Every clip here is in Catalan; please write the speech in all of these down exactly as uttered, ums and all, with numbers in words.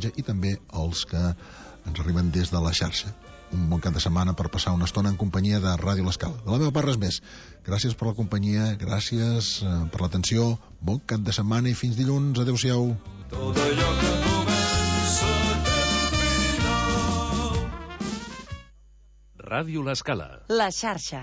missatge, i també els que ens arriben des de la xarxa. Un bon cap de setmana per passar una estona en companyia de Ràdio L'Escala. De la meva part res més. Gràcies per la companyia, gràcies eh, per l'atenció, bon cap de setmana i fins dilluns. Adéu-siau. Tot allò que comença final. Ràdio L'Escala. La xarxa.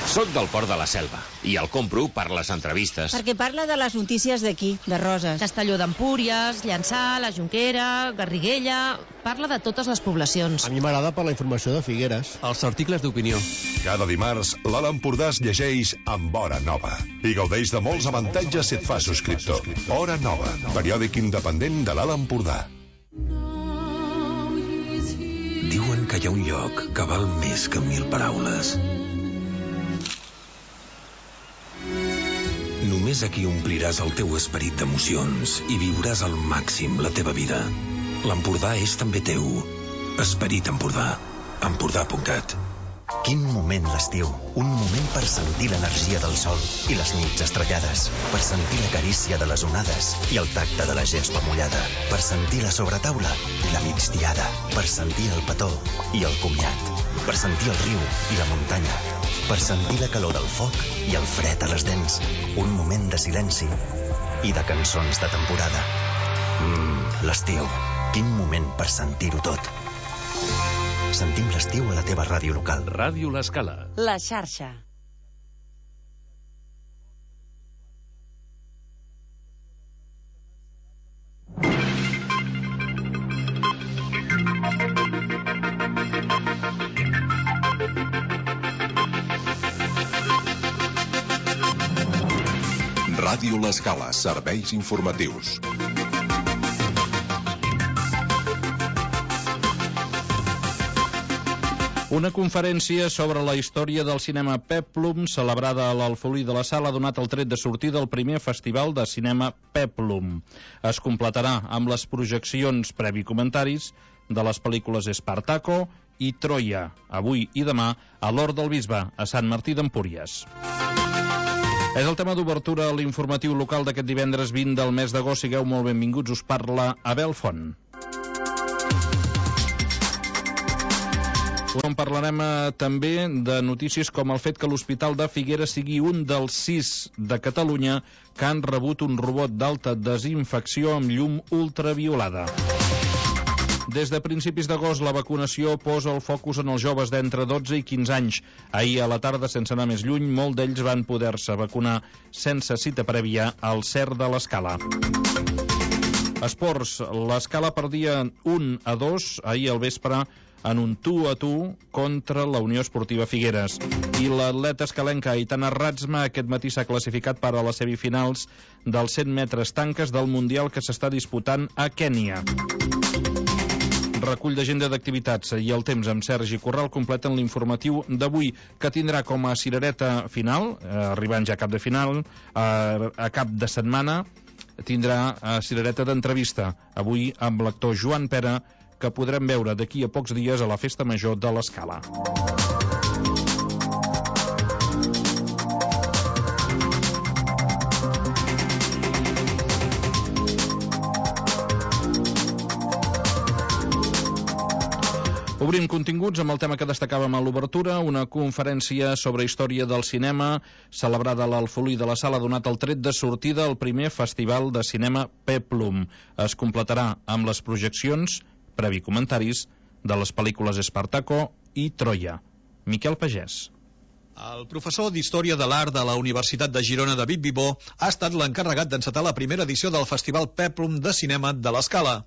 Soc del Port de la Selva i el compro per les entrevistes. Perquè parla de les notícies d'aquí, de Roses. Castelló d'Empúries, Llançà, la Jonquera, Garriguella... Parla de totes les poblacions. A mi m'agrada per la informació de Figueres. Els articles d'opinió. Cada dimarts, l'Alt Empordà es llegeix amb Hora Nova i gaudeix de molts avantatges si et fas subscriptor. Hora Nova, periòdic independent de l'Alt Empordà. Diuen que hi ha un lloc que val més que mil paraules. Només aquí ompliràs el teu esperit d'emocions i viuràs al màxim la teva vida. L'Empordà és també teu. Esperit Empordà. Empordà punt cat. Quin moment l'estiu. Un moment per sentir l'energia del sol i les nits estrellades, per sentir la carícia de les onades i el tacte de la gespa mullada, per sentir la sobretaula i la migdiada, per sentir el petó i el comiat, per sentir el riu i la muntanya, per sentir la calor del foc i el fred a les dents. Un moment de silenci i de cançons de temporada. Mmm, l'estiu. Quin moment per sentir-ho tot. Sentim l'estiu a la teva ràdio local. Ràdio L'Escala. La xarxa. Ràdio L'Escala, serveis informatius. Una conferència sobre la història del cinema Peplum, celebrada a l'Alfolí de la Sala, ha donat el tret de sortida al primer festival de cinema Peplum. Es completarà amb les projeccions previ comentaris de les pel·lícules Espartaco i Troia, avui i demà a l'Hort del Bisbe, a Sant Martí d'Empúries. És el tema d'obertura a l'informatiu local d'aquest divendres vint del mes d'agost. Sigueu molt benvinguts, us parla Abel Font. On parlarem eh, també de notícies com el fet que l'Hospital de Figueres sigui un dels sis de Catalunya que han rebut un robot d'alta desinfecció amb llum ultraviolada. Des de principis d'agost, la vacunació posa el focus en els joves d'entre dotze i quinze anys. Ahir a la tarda, sense anar més lluny, molts d'ells van poder-se vacunar sense cita prèvia al C E R de l'Escala. Esports, l'Escala perdia un a dos ahir al vespre en un tu a tu contra la Unió Esportiva Figueres. I l'atleta escalenca Aitana Ratzma aquest matí s'ha classificat per a les semifinals dels cent metres tanques del Mundial que s'està disputant a Kènia. Recull d'agenda d'activitats i el temps amb Sergi Corral completen l'informatiu d'avui, que tindrà com a cirereta final, eh, arribant ja a cap de final, eh, a cap de setmana, tindrà eh, cirereta d'entrevista, avui amb l'actor Joan Pera, que podrem veure d'aquí a pocs dies a la Festa Major de l'Escala. Obrim continguts amb el tema que destacàvem a l'obertura, una conferència sobre història del cinema celebrada a l'Alfolí de la Sala ha donat el tret de sortida al primer festival de cinema Peplum. Es completarà amb les projeccions, previ comentaris, de les pel·lícules Espartaco i Troia. Miquel Pagès. El professor d'Història de l'Art de la Universitat de Girona, David Vivó, ha estat l'encarregat d'encetar la primera edició del Festival Peplum de Cinema de l'Escala.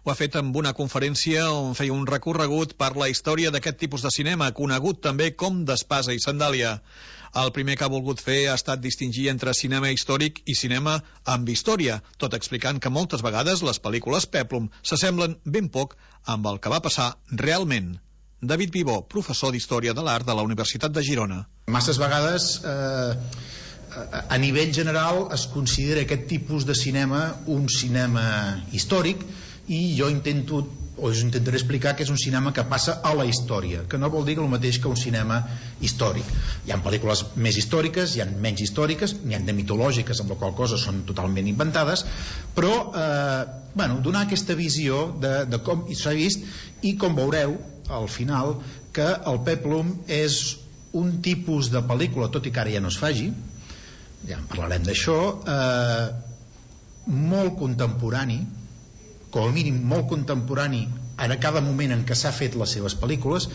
Ho ha fet amb una conferència on feia un recorregut per la història d'aquest tipus de cinema, conegut també com d'espasa i sandàlia. El primer que ha volgut fer ha estat distingir entre cinema històric i cinema amb història, tot explicant que moltes vegades les pel·lícules Peplum s'assemblen ben poc amb el que va passar realment. David Vivó, professor d'Història de l'Art de la Universitat de Girona. Masses vegades, eh, a nivell general, es considera aquest tipus de cinema un cinema històric, i jo intento o us intentaré explicar que és un cinema que passa a la història, que no vol dir el mateix que un cinema històric. Hi ha pel·lícules més històriques, hi ha menys històriques, n'hi ha de mitològiques, amb la qual cosa són totalment inventades, però eh, bueno, donar aquesta visió de, de com s'ha vist, i com veureu al final que el Peplum és un tipus de pel·lícula, tot i que ara ja no es faci, ja en parlarem d'això, eh, molt contemporani, com a mínim molt contemporani en cada moment en què s'ha fet les seves pel·lícules,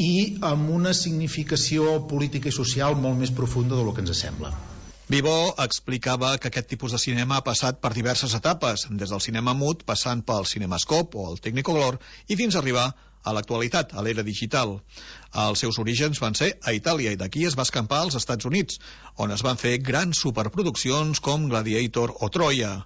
i amb una significació política i social molt més profunda del que ens sembla. Vivó explicava que aquest tipus de cinema ha passat per diverses etapes, des del cinema mut, passant pel cinemascope o el Technicolor, i fins a arribar a l'actualitat, a l'era digital. Els seus orígens van ser a Itàlia, i d'aquí es va escampar als Estats Units, on es van fer grans superproduccions com Gladiator o Troia.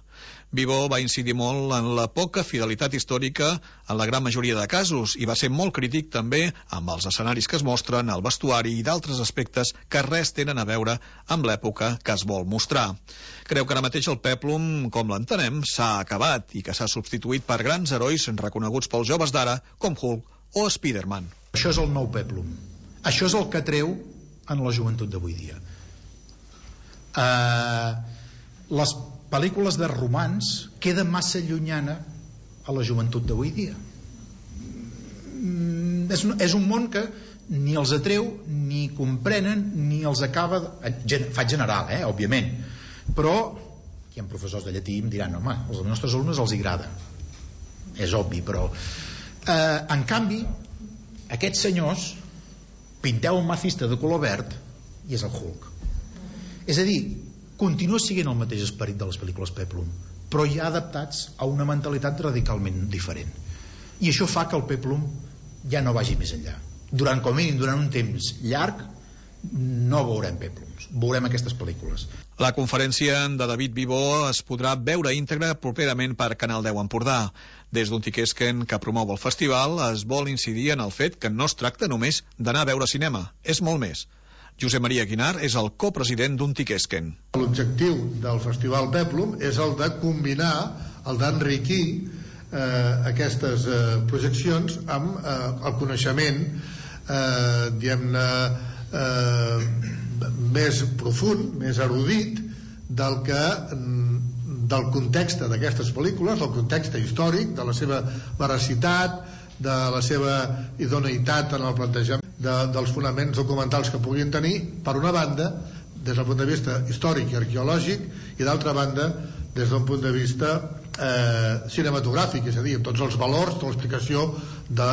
Vivó va incidir molt en la poca fidelitat històrica en la gran majoria de casos, i va ser molt crític també amb els escenaris que es mostren, el vestuari i d'altres aspectes que res tenen a veure amb l'època que es vol mostrar. Creu que ara mateix el Peplum, com l'entenem, s'ha acabat i que s'ha substituït per grans herois reconeguts pels joves d'ara, com Hulk o Spider-Man. Això és el nou Peplum. Això és el que treu en la joventut d'avui dia. Uh, les pel·lícules de romans queda massa llunyana a la joventut d'avui dia. Mm, és, un, és un món que ni els atreu, ni comprenen, ni els acaba... Gen, faig general, eh, òbviament. Però hi ha professors de llatí i em diran, home, als nostres alumnes els agrada. És obvi, però... Eh, en canvi, aquests senyors pinteu un macista de color verd i és el Hulk. És a dir, continua sent el mateix esperit de les pel·lícules Peplum, però ja adaptats a una mentalitat radicalment diferent. I això fa que el Peplum ja no vagi més enllà. Durant, com a mínim, durant un temps llarg, no veurem Peplums, veurem aquestes pel·lícules. La conferència de David Vivó es podrà veure íntegra properament per Canal deu Empordà. Des d'Untiquesquen, que promou el festival, es vol incidir en el fet que no es tracta només d'anar a veure cinema, és molt més. Josep Maria Guinar és el copresident d'Untiquesquen. L'objectiu del Festival Peplum és el de combinar, el d'enriquir eh, aquestes eh, projeccions amb eh, el coneixement eh, diguem-ne eh, més profund, més erudit del que del context d'aquestes pel·lícules, del context històric, de la seva veracitat, de la seva idoneïtat en el plantejament de, dels fonaments documentals que puguin tenir, per una banda, des del punt de vista històric i arqueològic, i d'altra banda, des d'un punt de vista eh, cinematogràfic, és a dir, amb tots els valors de l'explicació de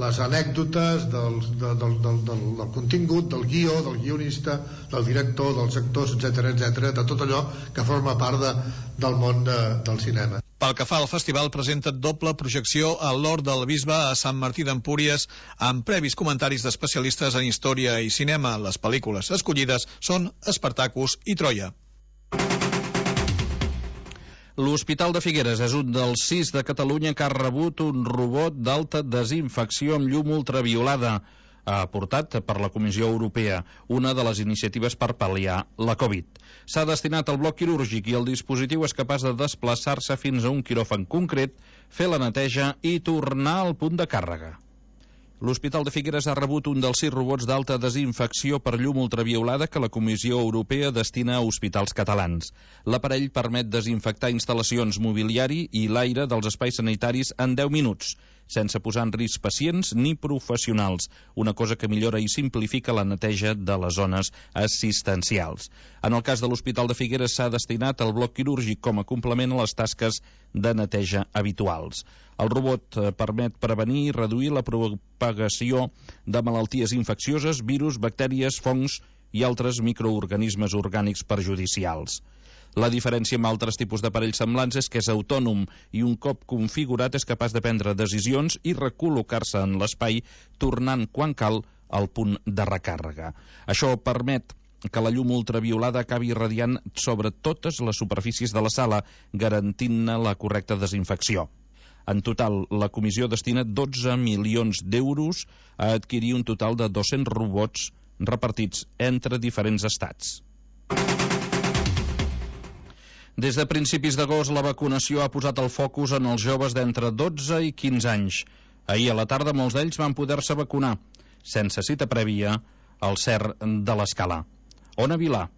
les anècdotes, del, de, del, del, del, del contingut, del guió, del guionista, del director, dels actors, etcètera, etcètera, de tot allò que forma part de, del món de, del cinema. Pel que fa al festival, presenta doble projecció a l'Hort del Bisbe a Sant Martí d'Empúries, amb previs comentaris d'especialistes en història i cinema. Les pel·lícules escollides són Espartacus i Troia. L'Hospital de Figueres és un dels sis de Catalunya que ha rebut un robot d'alta desinfecció amb llum ultraviolada, aportat per la Comissió Europea, una de les iniciatives per pal·liar la Covid. S'ha destinat al bloc quirúrgic i el dispositiu és capaç de desplaçar-se fins a un quiròfan concret, fer la neteja i tornar al punt de càrrega. L'Hospital de Figueres ha rebut un dels sis robots d'alta desinfecció per llum ultraviolada que la Comissió Europea destina a hospitals catalans. L'aparell permet desinfectar instal·lacions, mobiliari i l'aire dels espais sanitaris en deu minuts, sense posar en risc pacients ni professionals, una cosa que millora i simplifica la neteja de les zones assistencials. En el cas de l'Hospital de Figueres s'ha destinat al bloc quirúrgic com a complement a les tasques de neteja habituals. El robot permet prevenir i reduir la propagació de malalties infeccioses, virus, bactèries, fongs i altres microorganismes orgànics perjudicials. La diferència amb altres tipus d'aparells semblants és que és autònom i un cop configurat és capaç de prendre decisions i recol·locar-se en l'espai, tornant quan cal al punt de recàrrega. Això permet que la llum ultraviolada acabi irradiant sobre totes les superfícies de la sala, garantint-ne la correcta desinfecció. En total, la comissió destina dotze milions d'euros a adquirir un total de dos-cents robots repartits entre diferents estats. Des de principis d'agost, la vacunació ha posat el focus en els joves d'entre dotze i quinze anys. Ahir a la tarda molts d'ells van poder-se vacunar, sense cita prèvia, al C E R de l'Escala. Ona Vilà.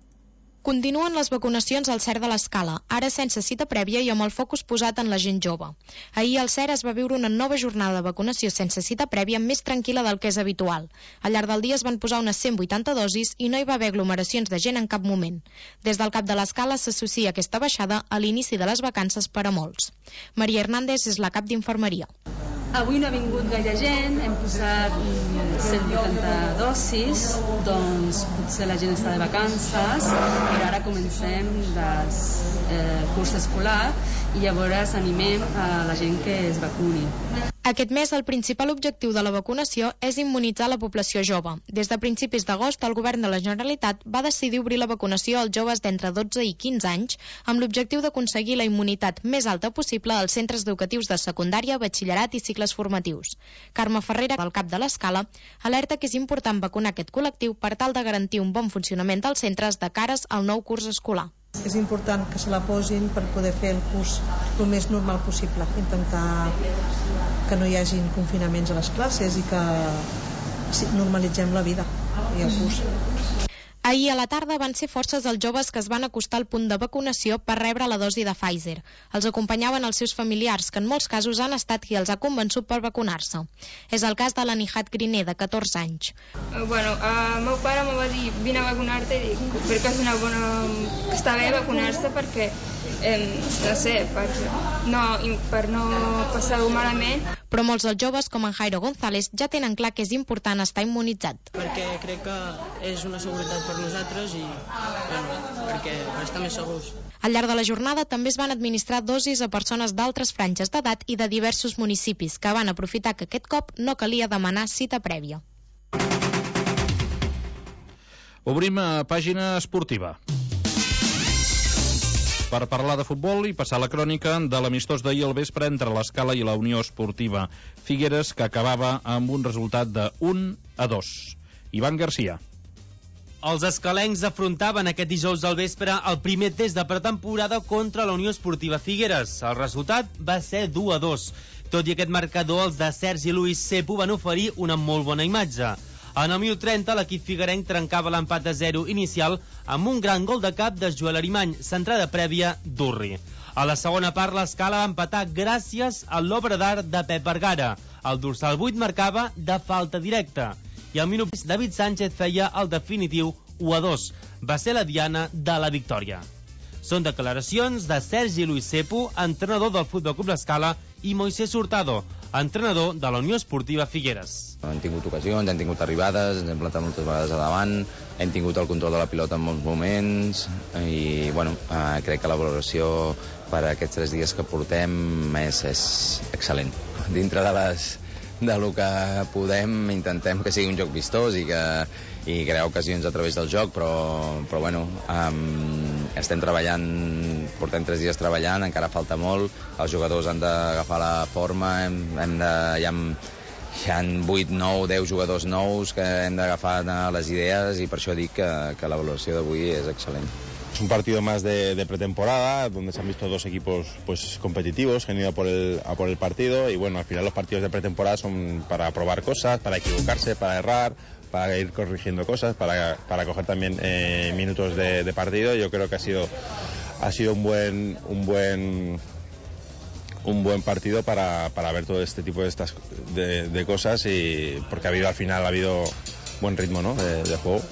Continuen les vacunacions al C E R de l'Escala, ara sense cita prèvia i amb el focus posat en la gent jove. Ahir al C E R es va viure una nova jornada de vacunació sense cita prèvia més tranquil·la del que és habitual. Al llarg del dia es van posar unes cent vuitanta dosis i no hi va haver aglomeracions de gent en cap moment. Des del cap de l'Escala s'associa aquesta baixada a l'inici de les vacances per a molts. Maria Hernández és la cap d'infermeria. Avui no ha vingut gaire gent, hem posat cent vuitanta dosis, doncs potser la gent està de vacances, però ara comencem el eh, curs escolar i llavors animem a la gent que es vacuni. Aquest mes el principal objectiu de la vacunació és immunitzar la població jove. Des de principis d'agost, el govern de la Generalitat va decidir obrir la vacunació als joves d'entre dotze i quinze anys amb l'objectiu d'aconseguir la immunitat més alta possible als centres educatius de secundària, batxillerat i cicles formatius. Carme Ferrera, del cap de l'Escala, alerta que és important vacunar aquest col·lectiu per tal de garantir un bon funcionament dels centres de cares al nou curs escolar. És important que se la posin per poder fer el curs el més normal possible, intentar que no hi hagin confinaments a les classes i que normalitzem la vida i el curs. Ahir a la tarda van ser forces els joves que es van acostar al punt de vacunació per rebre la dosi de Pfizer. Els acompanyaven els seus familiars, que en molts casos han estat qui els ha convençut per vacunar-se. És el cas de la Nihat Griner, de catorze anys. Uh, bueno, el uh, meu pare me va dir vine a vacunar-te i dic, perquè és una bona... està bé vacunar-se perquè, eh, no sé, per no, per no passar-ho malament. Però molts dels joves, com en Jairo González, ja tenen clar que és important estar immunitzat. Perquè crec que és una seguretat per nosaltres i bueno, perquè per estar més segurs. Al llarg de la jornada també es van administrar dosis a persones d'altres franges d'edat i de diversos municipis, que van aprofitar que aquest cop no calia demanar cita prèvia. Obrim a pàgina esportiva per parlar de futbol i passar la crònica de l'amistós d'ahir al vespre entre l'Escala i la Unió Esportiva Figueres, que acabava amb un resultat de un a dos. Ivan Garcia. Els escalencs afrontaven aquest dijous al vespre el primer test de pretemporada contra la Unió Esportiva Figueres. El resultat va ser dos a dos. Tot i aquest marcador, els de Sergi Luis Cepo van oferir una molt bona imatge. En el minut trenta, l'equip figuerenc trencava l'empat a zero inicial amb un gran gol de cap de Joel Arimany, centrada prèvia d'Urri. A la segona part, l'Escala va empatar gràcies a l'obra d'art de Pep Vergara. El dorsal vuit marcava de falta directa. I al minut David Sánchez feia el definitiu u a dos. Va ser la diana de la victòria. Són declaracions de Sergi Luis Cepo, entrenador del Futbol Club l'Escala, i Moisés Hurtado, entrenador de la Unió Esportiva Figueres. Hem tingut ocasions, hem tingut arribades, ens hem plantat moltes vegades a davant, hem tingut el control de la pilota en molts moments i bueno, eh, crec que la valoració per a aquests tres dies que portem és, és excel·lent. Dintre de les de lo que podem intentem que sigui un joc vistós i que i crear ocasions a través del joc, però, però bueno, um, estem treballant, portem tres dies treballant, encara falta molt, els jugadors han d'agafar la forma, hem, hem de, hi ha, hi ha vuit, nou, deu jugadors nous que hem d'agafar les idees i per això dic que, que la valoració d'avui és excel·lent. Es un partido más de, de pretemporada, donde se han visto dos equipos pues competitivos que han ido a por, el, a por el partido y bueno, al final los partidos de pretemporada son para probar cosas, para equivocarse, para errar, para ir corrigiendo cosas, para, para coger también eh, minutos de, de partido. Yo creo que ha sido, ha sido un buen, un buen, un buen partido para, para ver todo este tipo de, estas, de, de cosas y porque ha habido al final ha habido buen ritmo, ¿no? de, de juego.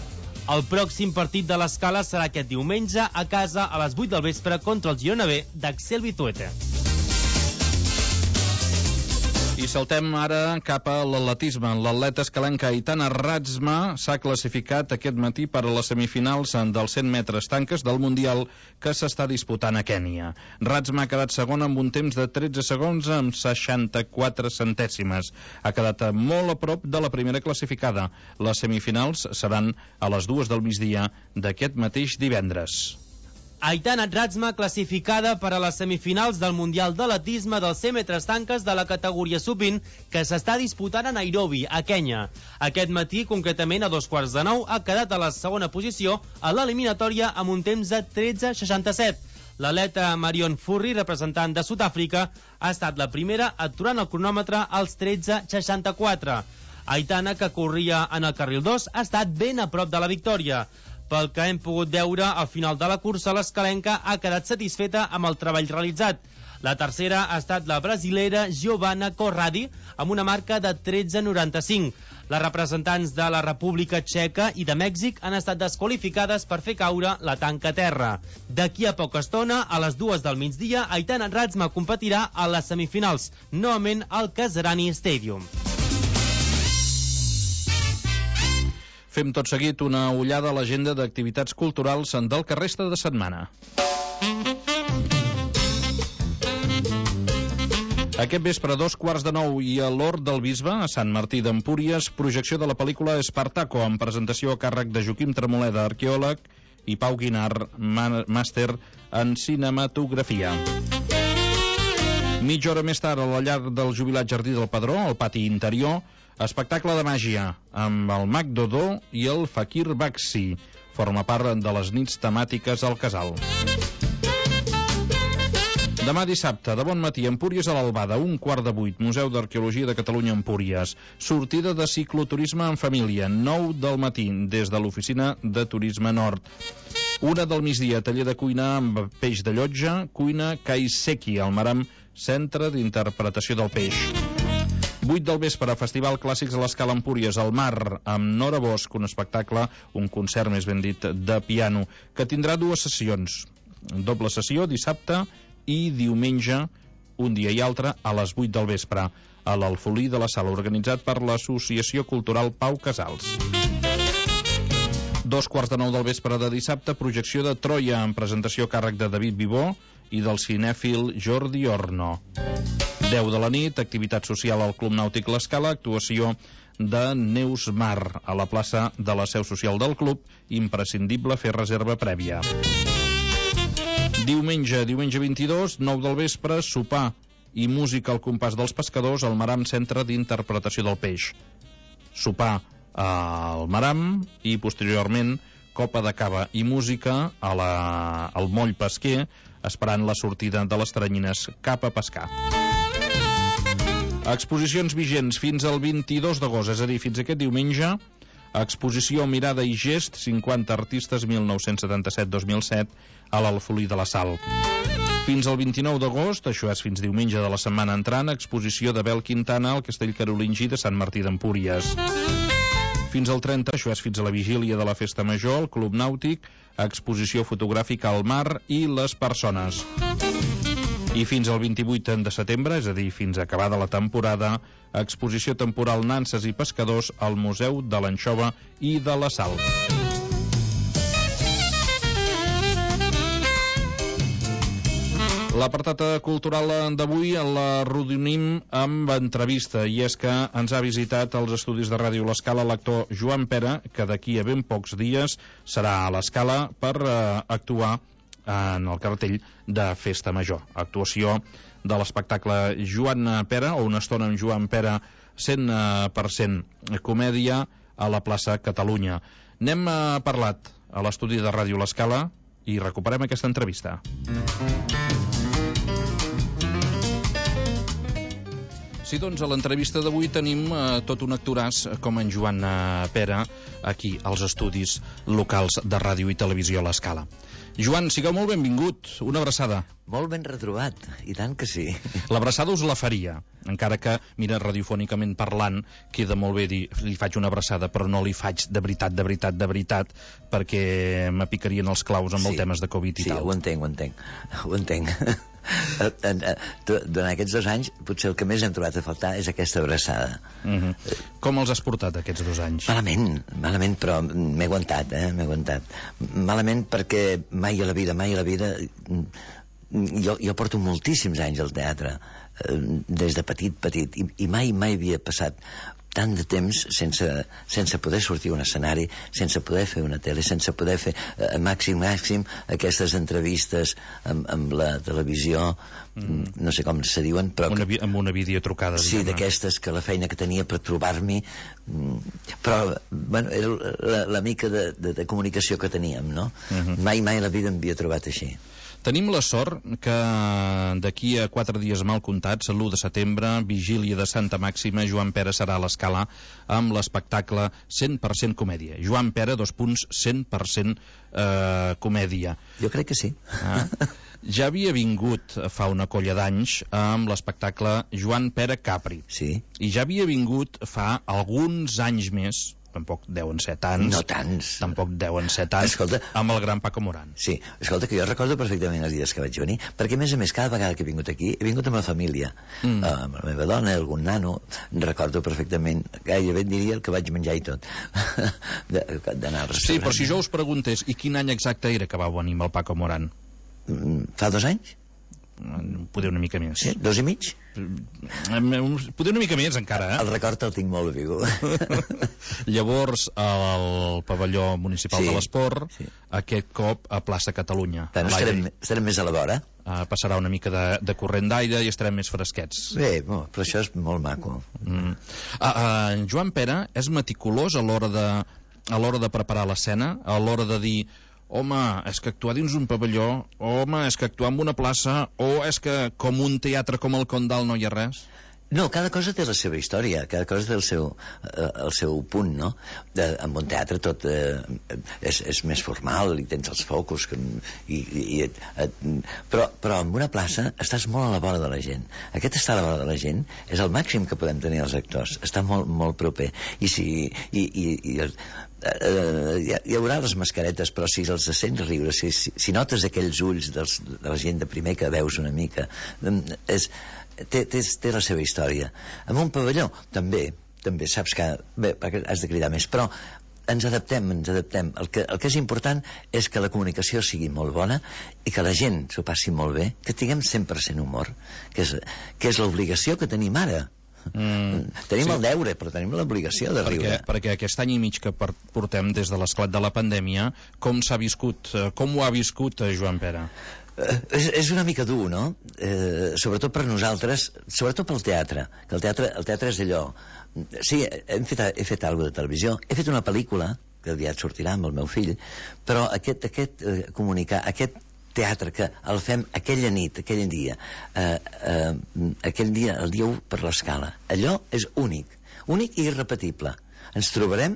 El pròxim partit de l'Escala serà aquest diumenge a casa a les vuit del vespre contra el Girona B d'Axel Bituete. I saltem ara cap a l'atletisme. L'atleta escalenca Aitana Razma s'ha classificat aquest matí per a les semifinals dels cent metres tanques del Mundial que s'està disputant a Kènia. Razma ha quedat segona amb un temps de tretze segons amb seixanta-quatre centèsimes. Ha quedat molt a prop de la primera classificada. Les semifinals seran a les dues del migdia d'aquest mateix divendres. Aitana Razma classificada per a les semifinals del Mundial d'Atletisme dels cent metres tanques de la categoria sub vint que s'està disputant a Nairobi, a Kenya. Aquest matí, concretament a dos quarts de nou, ha quedat a la segona posició a l'eliminatòria amb un temps de tretze seixanta-set. L'atleta Marion Furri, representant de Sud-àfrica, ha estat la primera aturant el cronòmetre als tretze seixanta-quatre. Aitana, que corria en el carril dos, ha estat ben a prop de la victòria. Pel que hem pogut veure, al final de la cursa, l'escalenca ha quedat satisfeta amb el treball realitzat. La tercera ha estat la brasilera Giovanna Corradi, amb una marca de tretze noranta-cinc. Les representants de la República Txeca i de Mèxic han estat desqualificades per fer caure la tanca a terra. D'aquí a poca estona, a les dues del migdia, Aitana Razma competirà a les semifinals, novament al Kasarani Stadium. Fem tot seguit una ullada a l'agenda d'activitats culturals del que resta de setmana. Aquest vespre, a dos quarts de nou, i a l'Hort del Bisbe, a Sant Martí d'Empúries, projecció de la pel·lícula Espartaco, amb presentació a càrrec de Joaquim Tremoleda, arqueòleg, i Pau Guinart, màster en cinematografia. Mitja hora més tard, a la llar del jubilat Jardí del Padró, al pati interior, espectacle de màgia, amb el mag Dodó i el Fakir Baxi. Forma part de les nits temàtiques al casal. Demà dissabte, de bon matí, Empúries a l'Albada, un quart de vuit, Museu d'Arqueologia de Catalunya Empúries. Sortida de cicloturisme en família, nou del matí, des de l'oficina de Turisme Nord. Una del migdia, taller de cuina amb peix de llotja, cuina Kaiseki, al Maram, centre d'interpretació del peix. vuit del vespre, Festival Clàssics a l'Escala Empúries, al Mar, amb Nora Bosch, un espectacle, un concert més ben dit, de piano, que tindrà dues sessions. Doble sessió, dissabte i diumenge, un dia i altre, a les vuit del vespre, a l'Alfolí de la Sala, organitzat per l'Associació Cultural Pau Casals. Dos quarts de nou del vespre de dissabte, projecció de Troia, amb presentació a càrrec de David Vivó i del cinèfil Jordi Orno. deu de la nit, activitat social al Club Nàutic L'Escala, actuació de Neus Mar, a la plaça de la seu social del club, imprescindible fer reserva prèvia. Diumenge, diumenge vint-i-dos, nou del vespre, sopar i música al compàs dels pescadors al Maram Centre d'Interpretació del Peix. Sopar al Maram i, posteriorment, copa de cava i música a la, al moll pesquer, esperant la sortida de les teranyines cap a pescar. Exposicions vigents fins al vint-i-dos d'agost, és a dir, fins aquest diumenge. Exposició Mirada i Gest, cinquanta artistes mil nou-cents setanta-set a dos mil set, a l'Alfolí de la Sal. Fins al vint-i-nou d'agost, això és fins diumenge de la setmana entrant, exposició d'Abel Quintana al Castell Carolingi de Sant Martí d'Empúries. Fins al trenta, això és fins a la vigília de la Festa Major, al Club Nàutic, exposició fotogràfica al mar i les persones. I fins al vint-i-vuit de setembre, és a dir, fins a acabada la temporada, exposició temporal Nanses i Pescadors al Museu de l'Anxova i de la Sal. L'apartat cultural d'avui la redunim amb entrevista, i és que ens ha visitat als estudis de Ràdio L'Escala l'actor Joan Pera, que d'aquí a ben pocs dies serà a l'Escala per eh, actuar en el cartell de Festa Major. Actuació de l'espectacle Joan Pera, o una estona amb Joan Pera, cent per cent comèdia, a la plaça Catalunya. N'hem eh, parlat a l'estudi de Ràdio L'Escala i recuperem aquesta entrevista. Sí, doncs a l'entrevista d'avui tenim eh, tot un actoràs com en Joan eh, Pera aquí als estudis locals de Ràdio i Televisió a l'Escala. Joan, sigueu molt benvingut, una abraçada. Molt ben retrobat, i tant que sí. L'abraçada us la faria, encara que, mira, radiofònicament parlant, queda molt bé dir, li faig una abraçada, però no li faig de veritat, de veritat, de veritat, perquè m'apicarien els claus amb sí, els temes de Covid i sí, tal. Sí, ho entenc, ho entenc, ho entenc. Durant aquests dos anys, potser el que més hem trobat a faltar és aquesta abraçada. Uh-huh. Com els has portat, aquests dos anys? Malament, malament, però m'he aguantat, eh, m'he aguantat. Malament perquè mai a la vida, mai a la vida jo, jo porto moltíssims anys al teatre, eh, des de petit, petit, i, i mai, mai havia passat tant de temps sense, sense poder sortir a un escenari, sense poder fer una tele, sense poder fer eh, màxim, màxim aquestes entrevistes amb, amb la televisió, mm. no sé com se diuen, però... Una, amb una videotrucada. Sí, d'aquestes, que la feina que tenia per trobar-m'hi, mm, però, bueno, era la, la mica de, de, de comunicació que teníem, no? Uh-huh. Mai, mai la vida m'havia trobat així. Tenim la sort que d'aquí a quatre dies mal comptats, l'u de setembre, vigília de Santa Màxima, Joan Pera serà a l'Escala amb l'espectacle cent per cent comèdia. Joan Pera, dos punts, cent per cent eh, comèdia. Jo crec que sí. Ah. Ja havia vingut fa una colla d'anys amb l'espectacle Joan Pera Capri. Sí. I ja havia vingut fa alguns anys més, tampoc deuen ser tants. No tants. Tampoc deuen ser tants. Escolta, amb el gran Paco Moran. Sí, escolta, que jo recordo perfectament els dies que vaig venir, perquè a més a més cada vegada que he vingut aquí he vingut amb la família, mm. uh, amb la meva dona, algun nano. Recordo perfectament, gairebé diria el que vaig menjar i tot d'anar al restaurant. Sí, però si jo us preguntés i quin any exacte era que va venir amb el Paco Moran? Mm, fa dos anys? Poder una mica més. Sí, dos i mig? Poder una mica més encara, eh? El record el tinc molt viu. Llavors al pavelló municipal sí, de l'Esport, sí. Aquest cop a plaça Catalunya. Bueno, estarem, estarem més a la vora. Uh, passarà una mica de, de corrent d'aire i estarem més fresquets. Bé, no, però això és molt maco. Mm. Uh, uh, Joan Pera és meticulós a l'hora de, a l'hora de preparar l'escena, a l'hora de dir home, és que actuar dins un pavelló, home, és que actuar en una plaça, o és que com un teatre com el Condal no hi ha res? No, cada cosa té la seva història, cada cosa té el seu, eh, el seu punt, no? De, en un teatre tot eh, és, és més formal, i tens els focus, que, i, i, i et, et, però, però en una plaça estàs molt a la vora de la gent. Aquest estar a la vora de la gent és el màxim que podem tenir els actors, està molt, molt proper. I si... I, i, i, Uh, hi, hi haurà les mascaretes, però si els sents riure, si, si, si notes aquells ulls dels, de la gent de primer que veus una mica, és, té, té, té la seva història. En un pavelló també, també saps que bé, has de cridar més, però ens adaptem, ens adaptem. El que, el que és important és que la comunicació sigui molt bona i que la gent s'ho passi molt bé, que tinguem cent per cent humor, que és, que és l'obligació que tenim ara. Mm, tenim sí. el deure, però tenim l'obligació de perquè, riure. Perquè aquest any i mig que portem des de l'esclat de la pandèmia, com s'ha viscut, com ho ha viscut Joan Pera? Eh, és, és una mica dur, no? Eh, sobretot per nosaltres, sobretot pel teatre, que el teatre, el teatre és allò. Sí, hem fet, he fet alguna de televisió, he fet una pel·lícula que aviat sortirà amb el meu fill, però aquest, aquest eh, comunicar, aquest teatre que el fem aquella nit, aquell dia, eh, eh, aquell dia, el dia u per l'Escala. Allò és únic, únic i irrepetible. Ens trobarem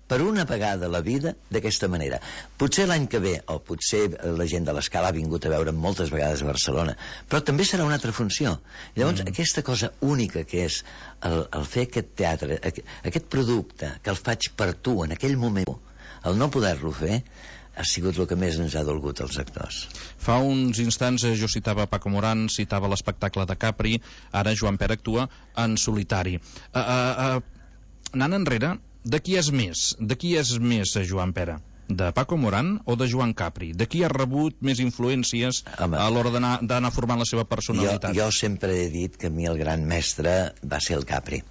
per una vegada a la vida d'aquesta manera. Potser l'any que ve, o potser la gent de l'Escala ha vingut a veure moltes vegades a Barcelona, però també serà una altra funció. Llavors, mm. aquesta cosa única que és el, el fer aquest teatre, aquest producte que el faig per tu en aquell moment, el no poder-lo fer, ha sigut el que més ens ha dolgut als actors. Fa uns instants jo citava Paco Moran, citava l'espectacle de Capri, ara Joan Pera actua en solitari. Uh, uh, uh, anant enrere, de qui és més? De qui és més Joan Pera? De Paco Moran o de Joan Capri? De qui ha rebut més influències Home, a l'hora d'anar formant la seva personalitat? Jo, jo sempre he dit que a mi el gran mestre va ser el Capri.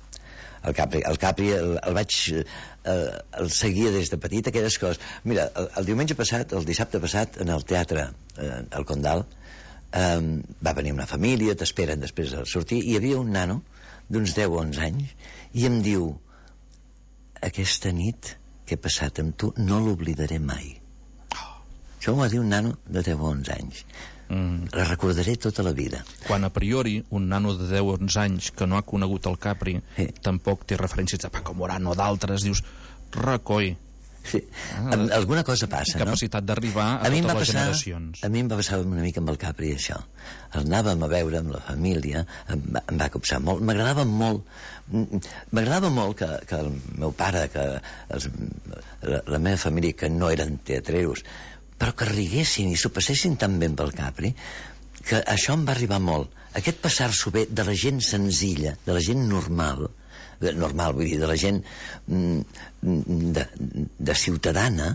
El Capri, el, Capri el, el vaig eh, el seguia des de petit, aquelles coses. Mira, el, el diumenge passat, el dissabte passat, en el teatre eh, al Condal, eh, va venir una família, t'esperen després de sortir, i hi havia un nano d'uns deu o onze anys i em diu: aquesta nit que he passat amb tu no l'oblidaré mai. Oh. Això m'ho va dir un nano de deu o onze anys. Mm. La recordaré tota la vida. Quan a priori un nano de deu o onze anys que no ha conegut el Capri sí. tampoc té referències de Paco Moran o d'altres, dius, recoi. Sí. Ah, alguna cosa passa, no? Capacitat d'arribar a, a totes les passar, generacions. A mi em va passar una mica amb el Capri això. El anàvem a veure amb la família, em va, em va copsar molt, m'agradava molt m'agradava molt que, que el meu pare, que els, la, la meva família, que no eren teatreus, però que riguessin i s'ho passessin tan bé amb el Capri, que això em va arribar molt. Aquest passar-s'ho bé de la gent senzilla, de la gent normal, normal, vull dir, de la gent de, de ciutadana,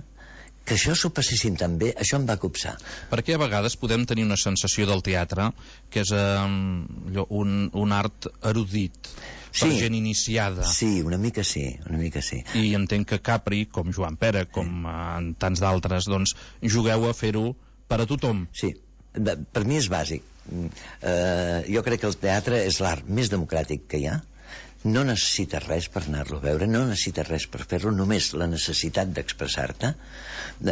que això s'ho passessin tan bé, això em va copsar. Perquè a vegades podem tenir una sensació del teatre que és um, un, un art erudit, per Sí. gent iniciada. Sí, una mica sí, una mica sí. I entenc que Capri, com Joan Pere, com en tants d'altres, doncs jugueu a fer-ho per a tothom. Sí, per mi és bàsic. Uh, jo crec que el teatre és l'art més democràtic que hi ha. No necessites res per anar-lo a veure, no necessites res per fer-lo, només la necessitat d'expressar-te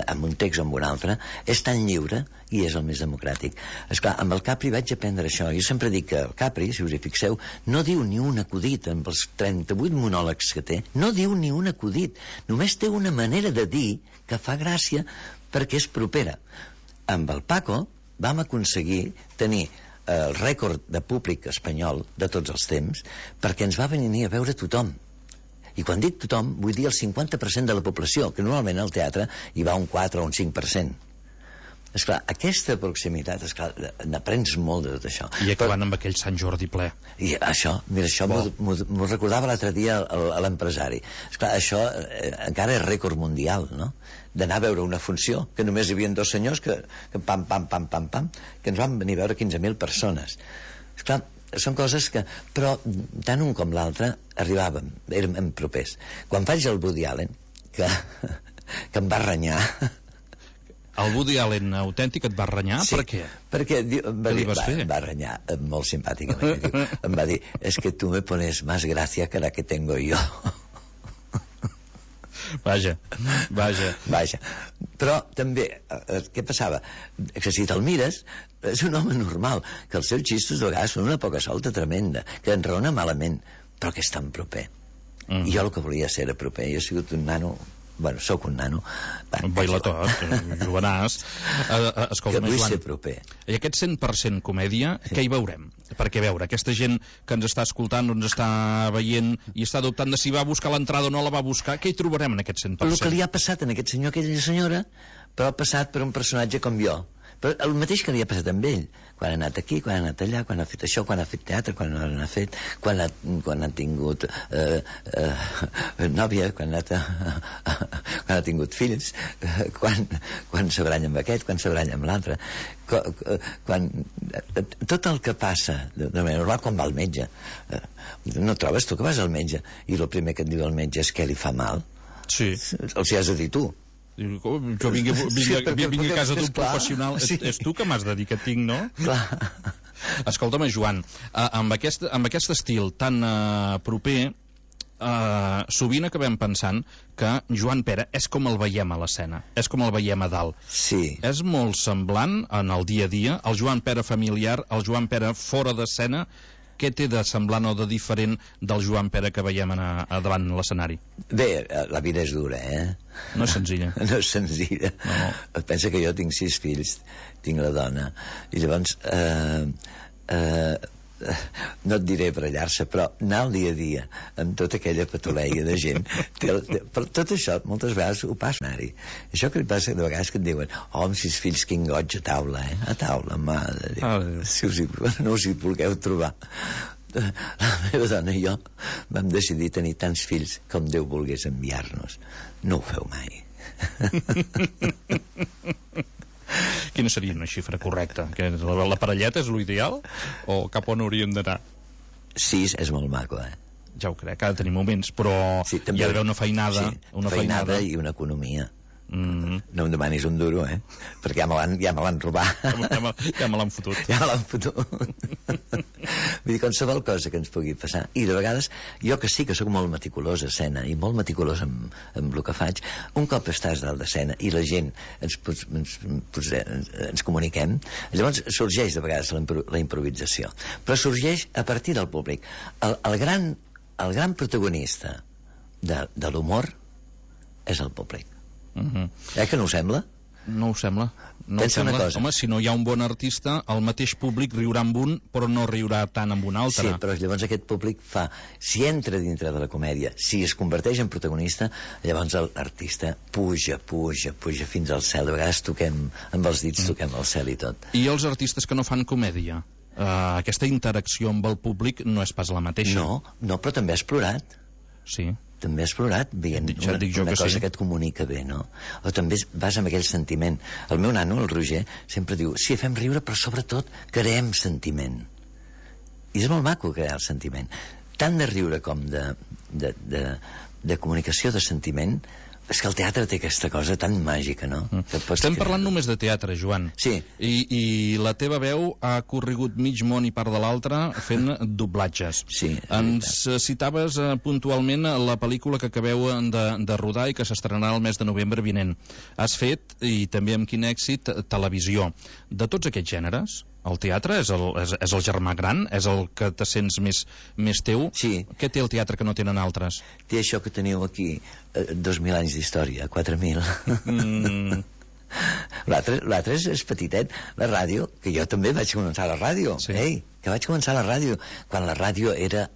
amb un text o amb un altre és tan lliure i és el més democràtic. Esclar, amb el Capri vaig aprendre això. Jo sempre dic que el Capri, si us hi fixeu, no diu ni un acudit amb els trenta-vuit monòlegs que té, no diu ni un acudit, només té una manera de dir que fa gràcia perquè és propera. Amb el Paco vam aconseguir tenir el rècord de públic espanyol de tots els temps, perquè ens va venir a veure tothom. I quan dic tothom, vull dir el cinquanta per cent de la població, que normalment al teatre hi va un quatre o un cinc per cent. Esclar, aquesta proximitat, esclar, n'aprens molt de tot això. I acabant Però... amb aquell Sant Jordi ple. I això, mira, això m'ho recordava l'altre dia l'empresari. Esclar, això eh, encara és rècord mundial, no? D'anar a veure una funció, que només hi havia dos senyors que, que pam, pam, pam, pam, pam, que ens van venir a veure quinze mil persones. Esclar, són coses que... Però tant un com l'altre arribàvem, érem propers. Quan faig el Woody Allen, que, que em va renyar... El Woody Allen autèntic et va renyar? Sí, per què? Perquè diu, em va, Què li dir, vas va, fer? em va renyar eh, molt simpàticament. Diu, em va dir, es que tu me pones más gracia que la que tengo yo. Vaja, vaja. Vaja. Però també, eh, què passava? Que si te'l mires, és un home normal, que els seus xistos de vegades són una poca solta tremenda, que enraona malament, però que és tan proper. Mm. I jo el que volia ser era proper. Jo he sigut un nano... Bueno, sóc un nano. Un bailatot, jovenàs. Uh, escolta, que vull Joan, ser proper. I aquest cent per cent comèdia, sí. Què hi veurem? Perquè, a veure, aquesta gent que ens està escoltant, ens està veient i està dubtant de si va buscar l'entrada o no la va buscar, què hi trobarem en aquest cent per cent? El que li ha passat a aquest senyor, aquella senyora, però ha passat per un personatge com jo. Però el mateix que li ha passat amb ell, quan ha anat aquí, quan ha anat allà, quan ha fet això, quan ha fet teatre, quan no l'ha fet, quan ha, quan ha tingut eh, eh, nòvia, quan ha, quan ha tingut fills, eh, quan, quan s'abranya amb aquest, quan s'abranya amb l'altre, quan, tot el que passa de manera normal, quan va al metge. Eh, no trobes tu que vas al metge i el primer que et diu el metge és que li fa mal? Sí. Els hi has de dir tu. Jo vinc, vinc, sí, perquè, vinc a casa d'un professional, sí. és, és tu que m'has de dir que tinc, no? Clar. Escolta'm, Joan, uh, amb, aquest, amb aquest estil tan uh, proper, uh, sovint acabem pensant que Joan Pere és com el veiem a l'escena, és com el veiem a dalt. Sí. És molt semblant en el dia a dia, el Joan Pere familiar, el Joan Pere fora d'escena. Què té de semblant o de diferent del Joan Pere que veiem a, a davant l'escenari? Bé, la vida és dura, eh? No és senzilla. No és senzilla. No. Pensa que jo tinc sis fills, tinc la dona, i llavors... Eh, eh, no et diré barallar-se, però anar al dia a dia amb tota aquella patoleia de gent té, té, però tot això moltes vegades ho passa anar-hi. Això que li passa de vegades que et diuen oh, amb sis fills quin goig a taula, eh? A taula, mare de Déu. Si us hi, no us hi vulgueu trobar. La meva dona i jo vam decidir tenir tants fills com Déu volgués enviar-nos. No ho feu mai. Quina seria una xifra correcta? Que la, la parelleta és l'ideal? O cap on hauríem d'anar? Sis és molt maco, eh? Ja ho crec, ha de tenir moments, però sí, també, hi ha d'haver una feinada. Sí, una feinada, feinada i una economia. Mm-hmm. No em demanis un duro, eh? Perquè ja me l'han, ja me l'han robat. Ja me, ja me l'han fotut. Ja me l'han fotut. Vull dir, qualsevol cosa que ens pugui passar. I de vegades, jo que sí que sóc molt meticulós a escena i molt meticulós amb, amb el que faig, un cop estàs dalt d'escena i la gent ens, ens, ens, ens comuniquem, llavors sorgeix de vegades la, la improvisació. Però sorgeix a partir del públic. El, el, gran, el gran protagonista de, de l'humor és el públic. Uh-huh. Eh que no ho sembla? No ho sembla. No Pensa ho sembla. una cosa. Home, si no hi ha un bon artista, el mateix públic riurà amb un, però no riurà tant amb un altre. Sí, però llavors aquest públic fa... Si entra dintre de la comèdia, si es converteix en protagonista, llavors l'artista puja, puja, puja fins al cel. De vegades toquem, amb els dits toquem el cel i tot. I els artistes que no fan comèdia? Uh, aquesta interacció amb el públic no és pas la mateixa. No, no, però també ha explorat. Sí. també has plorat veient Dic, una, dic jo una que cosa sí. que et comunica bé, no? O també vas amb aquell sentiment. El meu nano, el Roger, sempre diu, sí, fem riure, però sobretot creem sentiment. I és molt maco crear el sentiment. Tant de riure com de, de, de, de comunicació de sentiment. És que el teatre té aquesta cosa tan màgica, no? Mm. Estem crear... parlant només de teatre, Joan. Sí. I, I la teva veu ha corregut mig món i part de l'altre fent doblatges. Sí. Ens citaves eh, puntualment la pel·lícula que acabeu de, de rodar i que s'estrenarà el mes de novembre vinent. Has fet, i també amb quin èxit, televisió. De tots aquests gèneres, el teatre és el, és, és el germà gran? És el que te sents més, més teu? Sí. Què té el teatre que no tenen altres? Té això que teniu aquí, eh, dos mil anys d'història, quatre mil. Mm. L'altre és, és petitet. La ràdio, que jo també vaig començar a la ràdio. Sí. Ei, que vaig començar a la ràdio. Quan la ràdio era